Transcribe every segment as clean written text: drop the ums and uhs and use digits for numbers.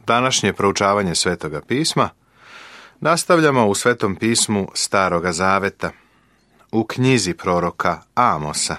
Današnje proučavanje Svetoga pisma nastavljamo u Svetom pismu Staroga Zaveta, u knjizi proroka Amosa,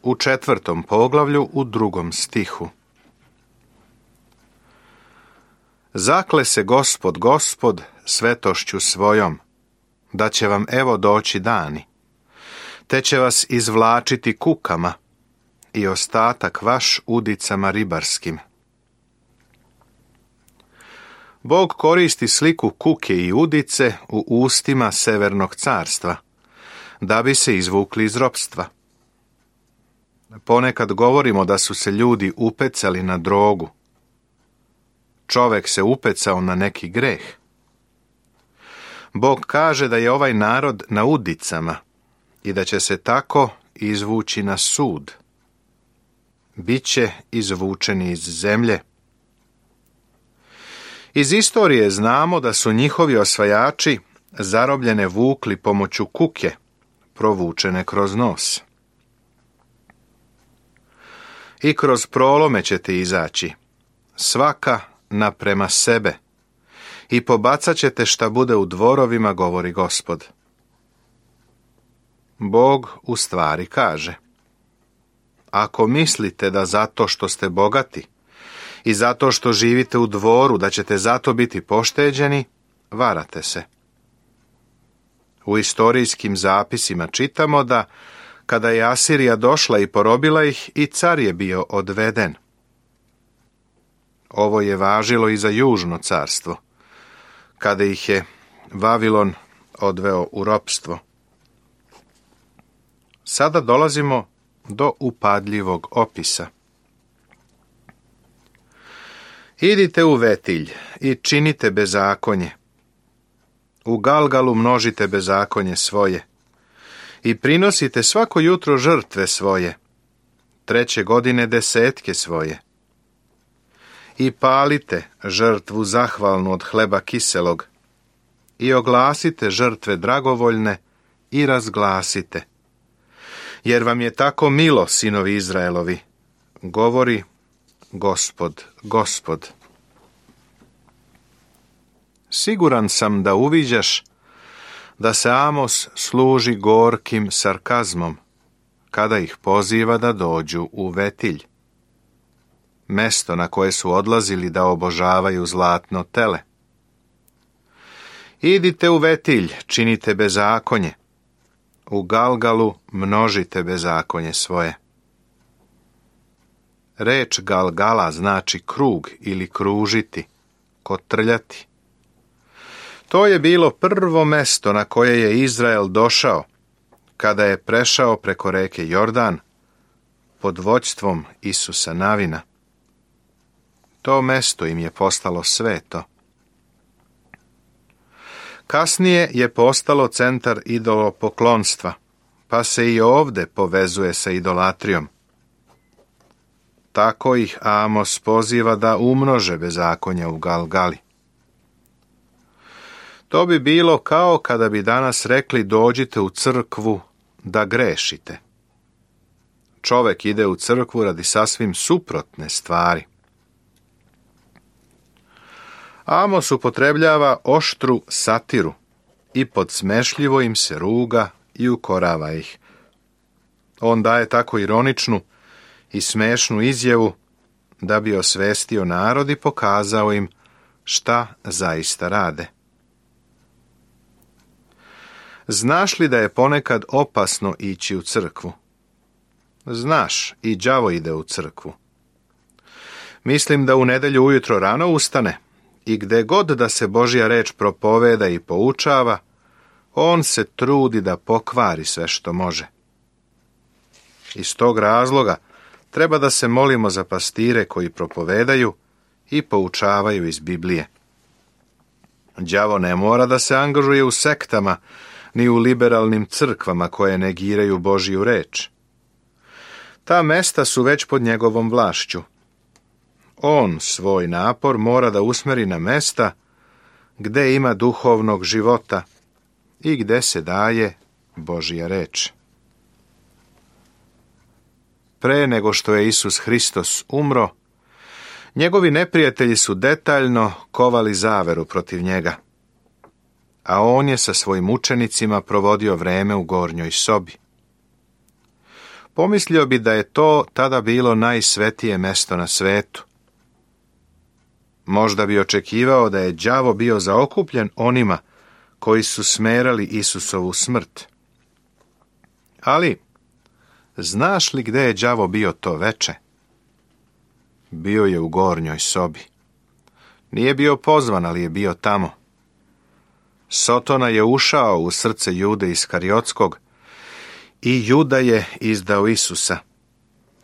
u 4. poglavlju u 2. stihu. Zakle se Gospod svetošću svojom, da će vam evo doći dani, te će vas izvlačiti kukama i ostatak vaš udicama ribarskim. Bog koristi sliku kuke i udice u ustima Severnog carstva, da bi se izvukli iz ropstva. Ponekad govorimo da su se ljudi upecali na drogu. Čovek se upecao na neki greh. Bog kaže da je ovaj narod na udicama i da će se tako izvući na sud. Biće izvučeni iz zemlje. Iz istorije znamo da su njihovi osvajači zarobljene vukli pomoću kuke, provučene kroz nos. I kroz prolome ćete izaći, svaka naprema sebe, i pobacat ćete šta bude u dvorovima, govori Gospod. Bog u stvari kaže: ako mislite da zato što ste bogati i zato što živite u dvoru, da ćete zato biti pošteđeni, varate se. U istorijskim zapisima čitamo da, kada je Asirija došla i porobila ih, i car je bio odveden. Ovo je važilo i za južno carstvo, kada ih je Vavilon odveo u ropstvo. Sada dolazimo do upadljivog opisa. Idite u Vetilj i činite bezakonje. U Galgalu množite bezakonje svoje i prinosite svako jutro žrtve svoje, 3. godine desetke svoje. I palite žrtvu zahvalnu od hleba kiselog i oglasite žrtve dragovoljne i razglasite. Jer vam je tako milo, sinovi Izraelovi, govori Gospod. Siguran sam da uviđaš da se Amos služi gorkim sarkazmom kada ih poziva da dođu u Vetilj, mesto na koje su odlazili da obožavaju zlatno tele. Idite u Vetilj, činite bezakonje, u Galgalu množite bezakonje svoje. Reč Galgala znači krug ili kružiti, kotrljati. To je bilo prvo mesto na koje je Izrael došao kada je prešao preko reke Jordan pod vođstvom Isusa Navina. To mesto im je postalo sveto. Kasnije je postalo centar idolopoklonstva, pa se i ovde povezuje sa idolatrijom. Tako ih Amos poziva da umnože bezakonja u Galgali. To bi bilo kao kada bi danas rekli: dođite u crkvu da grešite. Čovek ide u crkvu radi sasvim suprotne stvari. Amos upotrebljava oštru satiru i podsmešljivo im se ruga i ukorava ih. On daje tako ironičnu i smešnu izjavu da bi osvestio narod i pokazao im šta zaista rade. Znaš li da je ponekad opasno ići u crkvu? Znaš, i đavo ide u crkvu. Mislim da u nedjelju ujutro rano ustane i gde god da se Božja reč propoveda i poučava, on se trudi da pokvari sve što može. Iz tog razloga treba da se molimo za pastire koji propovedaju i poučavaju iz Biblije. Đavo ne mora da se angažuje u sektama ni u liberalnim crkvama koje negiraju Božju reč. Ta mesta su već pod njegovom vlašću. On svoj napor mora da usmeri na mesta gde ima duhovnog života i gde se daje Božja reč. Pre nego što je Isus Hristos umro, Njegovi neprijatelji su detaljno kovali zaveru protiv njega, a on je sa svojim učenicima provodio vreme u gornjoj sobi. Pomislio bi da je to tada bilo najsvetije mesto na svetu. Možda bi očekivao da je đavo bio zaokupljen onima koji su smerali Isusovu smrt. Ali, znaš li gde je đavo bio to veče? Bio je u gornjoj sobi. Nije bio pozvan, ali je bio tamo. Sotona je ušao u srce Jude Iskariotskog i Juda je izdao Isusa.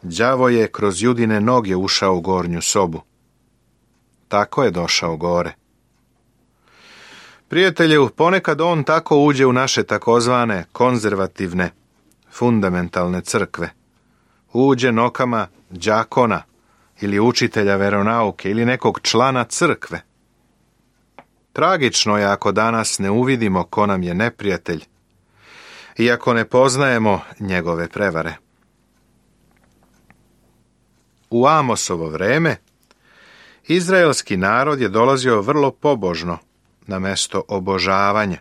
Đavo je kroz Judine noge ušao u gornju sobu. Tako je došao gore. Prijatelju, ponekad on tako uđe u naše takozvane konzervativne, fundamentalne crkve. Uđe nokama đakona ili učitelja veronauke ili nekog člana crkve. Tragično je ako danas ne uvidimo ko nam je neprijatelj i ako ne poznajemo njegove prevare. U Amosovo vreme izraelski narod je dolazio vrlo pobožno na mesto obožavanja.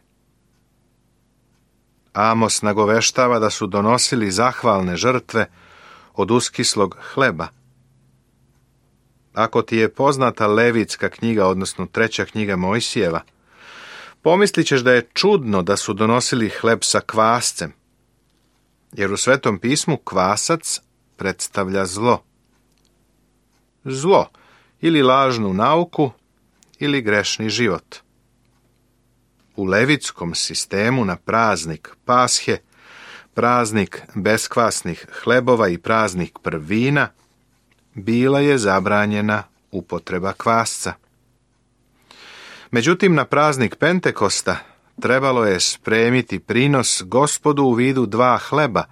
Amos nagoveštava da su donosili zahvalne žrtve od uskislog hleba. Ako ti je poznata Levitska knjiga, odnosno 3. knjiga Mojsijeva, pomislit ćeš da je čudno da su donosili hleb sa kvascem, jer u Svetom pismu kvasac predstavlja zlo. Zlo, ili lažnu nauku, ili grešni život. U levitskom sistemu na praznik Pashe, praznik beskvasnih hlebova i praznik prvina, bila je zabranjena upotreba kvasca. Međutim, na praznik Pentekosta trebalo je spremiti prinos Gospodu u vidu 2 hleba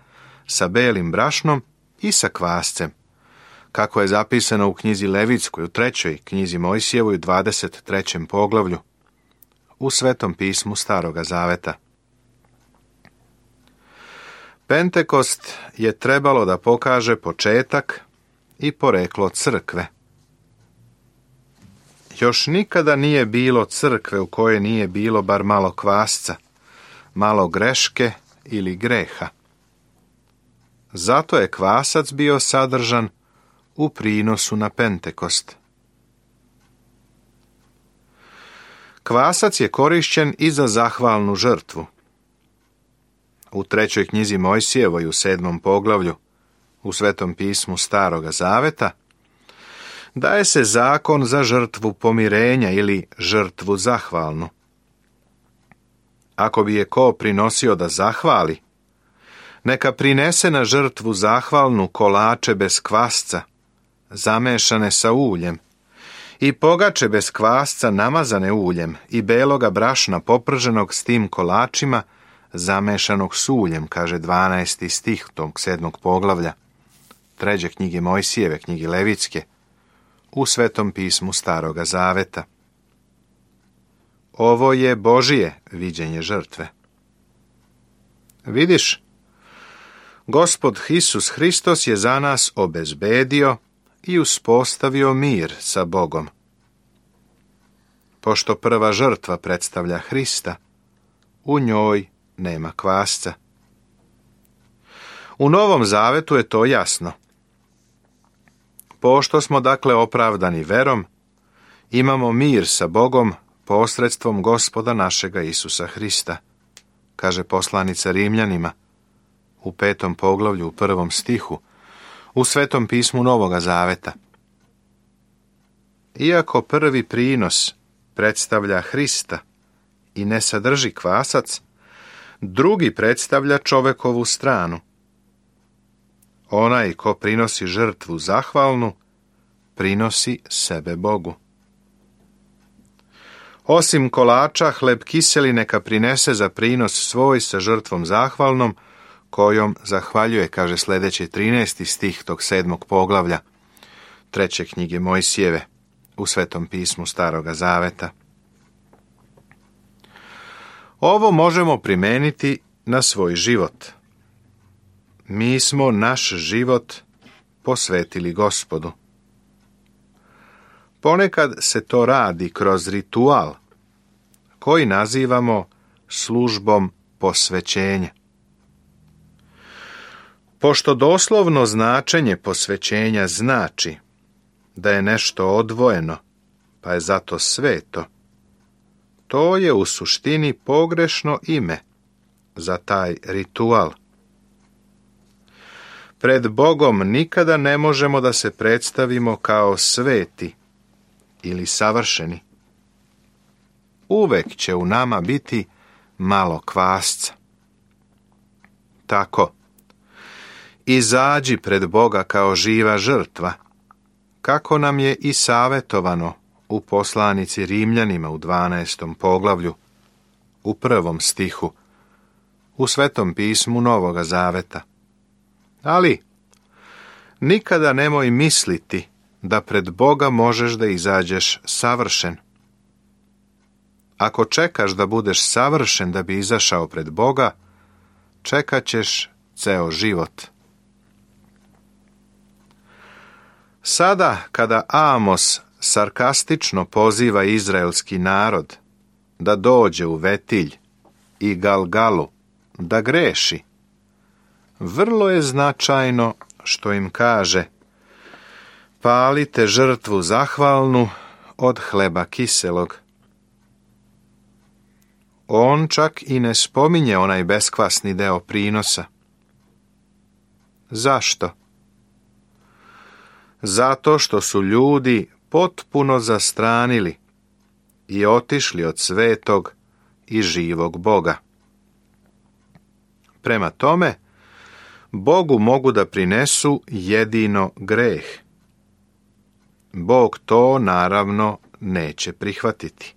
sa belim brašnom i sa kvascem, kako je zapisano u knjizi Levitskoj, u 3. knjizi Mojsijevoj, u 23. poglavlju, u Svetom pismu Staroga Zaveta. Pentekost je trebalo da pokaže početak i poreklo crkve. Još nikada nije bilo crkve u kojoj nije bilo bar malo kvasca, malo greške ili greha. Zato je kvasac bio sadržan u prinosu na Pentekost. Kvasac je korišćen i za zahvalnu žrtvu. U 3. knjizi Mojsijevoj, u 7. poglavlju, u Svetom pismu Staroga Zaveta, daje se zakon za žrtvu pomirenja ili žrtvu zahvalnu. Ako bi je ko prinosio da zahvali, neka prinese na žrtvu zahvalnu kolače bez kvasca, zamešane sa uljem, i pogače bez kvasca namazane uljem i beloga brašna poprženog s tim kolačima, zamešanog s uljem, kaže 12. stih tog 7. poglavlja 3. knjige Mojsijeve, knjige Levitske, u Svetom pismu Staroga Zaveta. Ovo je Božije viđenje žrtve. Vidiš, Gospod Isus Hristos je za nas obezbedio i uspostavio mir sa Bogom. Pošto prva žrtva predstavlja Hrista, u njoj nema kvasca. U Novom Zavetu je to jasno. Pošto smo dakle opravdani verom, imamo mir sa Bogom posredstvom Gospoda našega Isusa Hrista, kaže poslanica Rimljanima u 5. poglavlju u 1. stihu, u Svetom pismu Novoga Zaveta. Iako prvi prinos predstavlja Hrista i ne sadrži kvasac, drugi predstavlja čovekovu stranu. Onaj ko prinosi žrtvu zahvalnu, prinosi sebe Bogu. Osim kolača, hleb kiseli neka prinese za prinos svoj sa žrtvom zahvalnom, kojom zahvaljuje, kaže sljedeći 13. stih tog 7. poglavlja 3. knjige Mojsijeve u Svetom pismu Staroga Zaveta. Ovo možemo primeniti na svoj život. Mi smo naš život posvetili Gospodu. Ponekad se to radi kroz ritual, koji nazivamo službom posvećenja. Pošto doslovno značenje posvećenja znači da je nešto odvojeno, pa je zato sveto, to je u suštini pogrešno ime za taj ritual. Pred Bogom nikada ne možemo da se predstavimo kao sveti ili savršeni. Uvek će u nama biti malo kvasca. Tako, izađi pred Boga kao živa žrtva, kako nam je i savjetovano u poslanici Rimljanima u 12. poglavlju, u 1. stihu, u Svetom pismu Novoga Zaveta. Ali, nikada nemoj misliti da pred Boga možeš da izađeš savršen. Ako čekaš da budeš savršen da bi izašao pred Boga, čekat ćeš ceo život. Sada, kada Amos sarkastično poziva izraelski narod da dođe u Vetilj i Galgalu da greši, vrlo je značajno što im kaže: palite žrtvu zahvalnu od hleba kiselog. On čak i ne spominje onaj beskvasni deo prinosa. Zašto? Zato što su ljudi potpuno zastranili i otišli od svetog i živog Boga. Prema tome, Bogu mogu da prinesu jedino greh. Bog to, naravno, neće prihvatiti.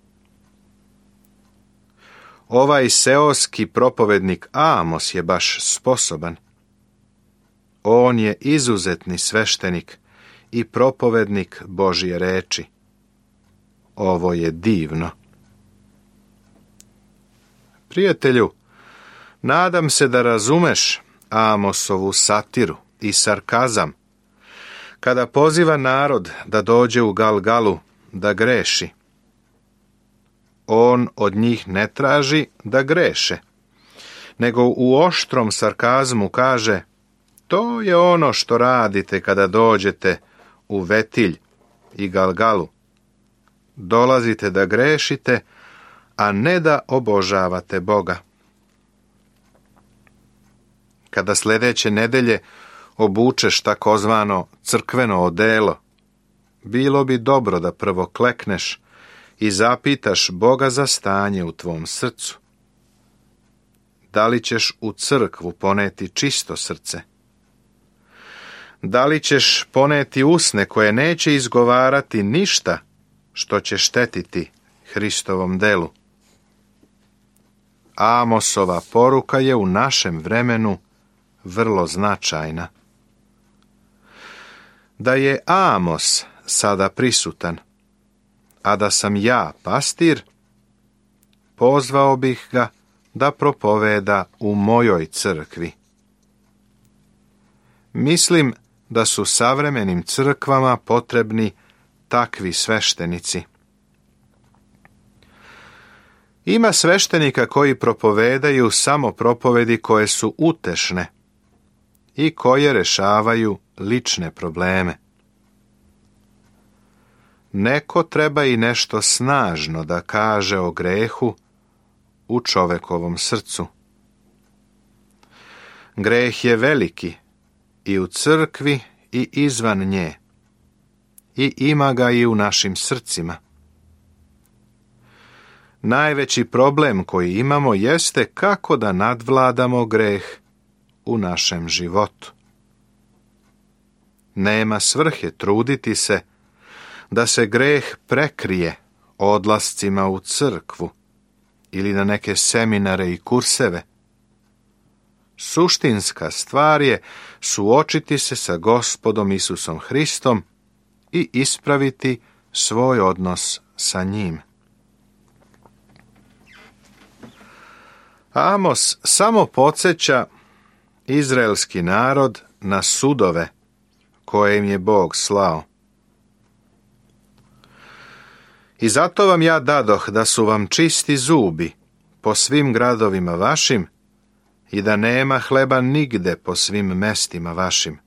Ovaj seoski propovednik Amos je baš sposoban. On je izuzetni sveštenik i propovednik Božje reči. Ovo je divno. Prijatelju, nadam se da razumeš Amosovu satiru i sarkazam, kada poziva narod da dođe u Galgalu da greši. On od njih ne traži da greše, nego u oštrom sarkazmu kaže: to je ono što radite kada dođete u Vetilj i Galgalu. Dolazite da grešite, a ne da obožavate Boga. Kada sljedeće nedelje obučeš takozvano crkveno odelo, bilo bi dobro da prvo klekneš i zapitaš Boga za stanje u tvom srcu. Da li ćeš u crkvu poneti čisto srce? Da li ćeš poneti usne koje neće izgovarati ništa što će štetiti Hristovom delu? Amosova poruka je u našem vremenu vrlo značajna. Da je Amos sada prisutan, a da sam ja pastir, pozvao bih ga da propoveda u mojoj crkvi. Mislim da su savremenim crkvama potrebni takvi sveštenici. Ima sveštenika koji propovedaju samo propovedi koje su utešne i koje rešavaju lične probleme. Neko treba i nešto snažno da kaže o grehu u čovekovom srcu. Greh je veliki i u crkvi i izvan nje, i ima ga i u našim srcima. Najveći problem koji imamo jeste kako da nadvladamo greh u našem životu. Nema svrhe truditi se da se greh prekrije odlascima u crkvu ili na neke seminare i kurseve. Suštinska stvar je suočiti se sa Gospodom Isusom Hristom i ispraviti svoj odnos sa njim. Amos samo podsjeća izraelski narod na sudove koje im je Bog slao. I zato vam ja dadoh da su vam čisti zubi po svim gradovima vašim i da nema hleba nigde po svim mestima vašim.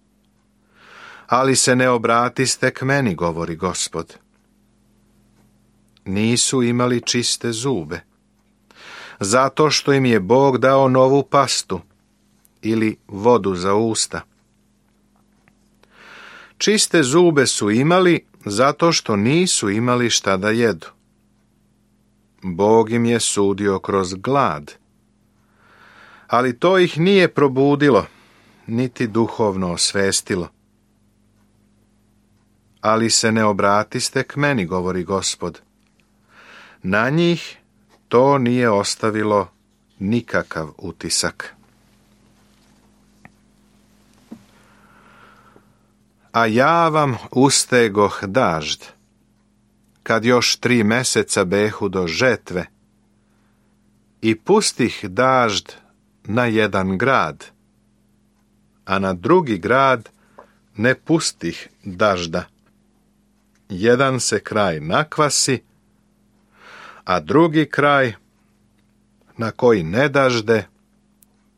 Ali se ne obratiste k meni, govori Gospod. Nisu imali čiste zube, zato što im je Bog dao novu pastu ili vodu za usta. Čiste zube su imali zato što nisu imali šta da jedu. Bog im je sudio kroz glad, ali to ih nije probudilo, niti duhovno osvestilo. Ali se ne obratiste k meni, govori Gospod. Na njih to nije ostavilo nikakav utisak. A ja vam ustegoh dažd, kad još 3 meseca behu do žetve, i pustih dažd na jedan grad, a na drugi grad ne pustih dažda. Jedan se kraj nakvasi, a drugi kraj, na koji ne dažde,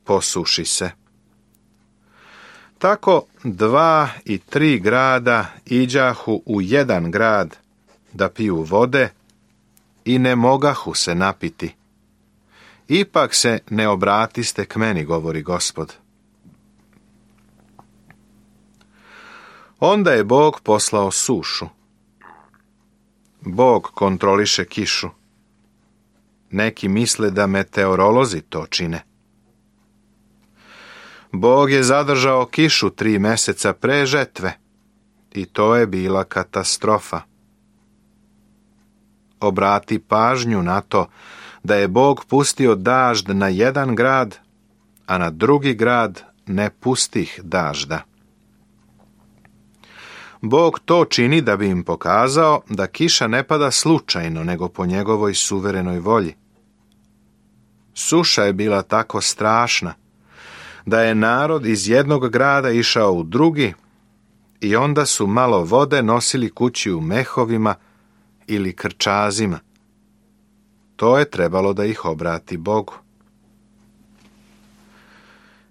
posuši se. Tako 2 i 3 grada iđahu u jedan grad da piju vode i ne mogahu se napiti. Ipak se ne obratiste k meni, govori Gospod. Onda je Bog poslao sušu. Bog kontroliše kišu. Neki misle da meteorolozi to čine. Bog je zadržao kišu 3 meseca pre žetve i to je bila katastrofa. Obrati pažnju na to da je Bog pustio dažd na jedan grad, a na drugi grad ne pustih dažda. Bog to čini da bi im pokazao da kiša ne pada slučajno, nego po njegovoj suverenoj volji. Suša je bila tako strašna da je narod iz jednog grada išao u drugi i onda su malo vode nosili kući u mehovima ili krčazima. To je trebalo da ih obrati Bogu.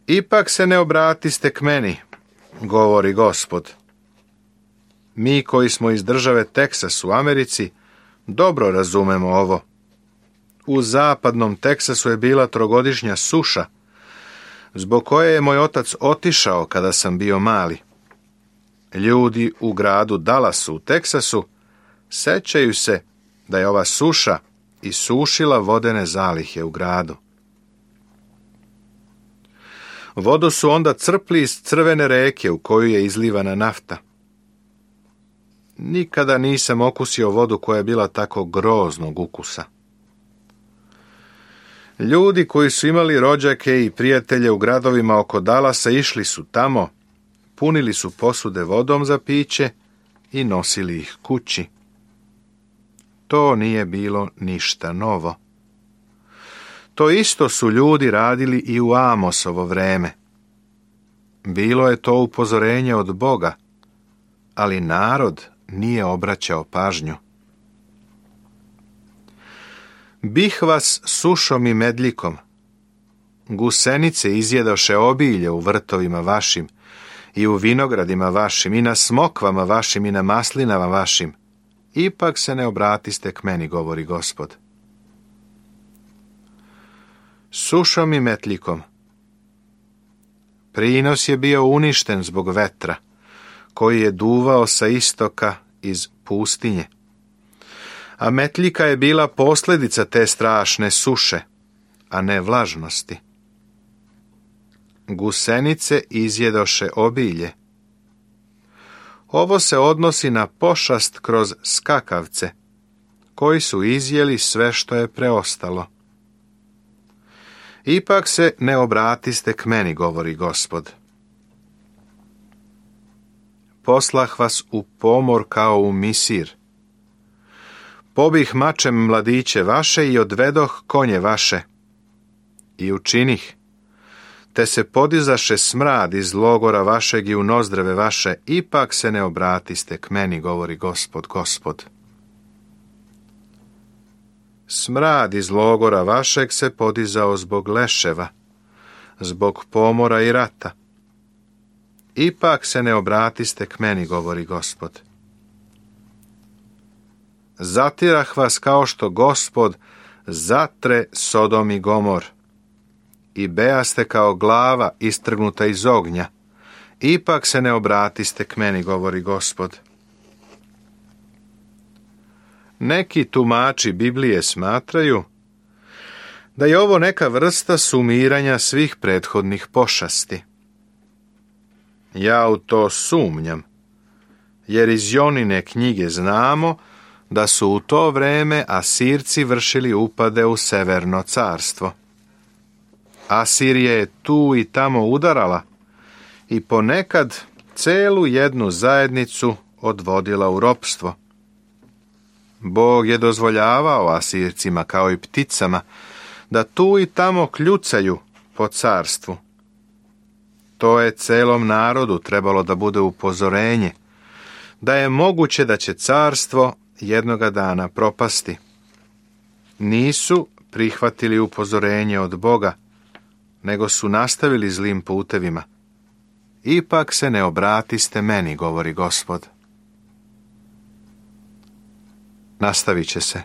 Ipak se ne obratiste k meni, govori Gospod. Mi koji smo iz države Teksas u Americi dobro razumemo ovo. U zapadnom Teksasu je bila 3-godišnja suša, zbog koje je moj otac otišao kada sam bio mali. Ljudi u gradu Dallasu u Teksasu sećaju se da je ova suša isušila vodene zalihe u gradu. Vodu su onda crpli iz crvene reke u koju je izlivana nafta. Nikada nisam okusio vodu koja je bila tako groznog ukusa. Ljudi koji su imali rođake i prijatelje u gradovima oko Dallasa išli su tamo, punili su posude vodom za piće i nosili ih kući. To nije bilo ništa novo. To isto su ljudi radili i u Amosovo vreme. Bilo je to upozorenje od Boga, ali narod nije obraćao pažnju. Bih vas sušom i medljikom. Gusenice izjedoše obilje u vrtovima vašim i u vinogradima vašim i na smokvama vašim i na maslinama vašim. Ipak se ne obratiste k meni, govori Gospod. Sušom i metljikom. Prinos je bio uništen zbog vetra, koji je duvao sa istoka iz pustinje. A metljika je bila posljedica te strašne suše, a ne vlažnosti. Gusenice izjedoše obilje. Ovo se odnosi na pošast kroz skakavce, koji su izjeli sve što je preostalo. Ipak se ne obratiste k meni, govori Gospod. Poslah vas u pomor kao u Misir. Pobih mačem mladiće vaše i odvedoh konje vaše. I učinih, te se podizaše smrad iz logora vašeg i u nozdreve vaše, ipak se ne obratiste k meni, govori Gospod, Gospod. Smrad iz logora vašeg se podizao zbog leševa, zbog pomora i rata. Ipak se ne obratiste k meni, govori Gospod. Zatirah vas kao što Gospod zatre Sodom i Gomor, i bejaste kao glava istrgnuta iz ognja. Ipak se ne obratiste k meni, govori Gospod. Neki tumači Biblije smatraju da je ovo neka vrsta sumiranja svih prethodnih pošasti. Ja u to sumnjam, jer iz Jonine knjige znamo da su u to vreme Asirci vršili upade u Severno carstvo. Asirija je tu i tamo udarala i ponekad celu jednu zajednicu odvodila u ropstvo. Bog je dozvoljavao Asircima, kao i pticama, da tu i tamo kljucaju po carstvu. To je celom narodu trebalo da bude upozorenje, da je moguće da će carstvo jednoga dana propasti. Nisu prihvatili upozorenje od Boga, nego su nastavili zlim putevima. Ipak se ne obratiste meni, govori Gospod. Nastavit će se.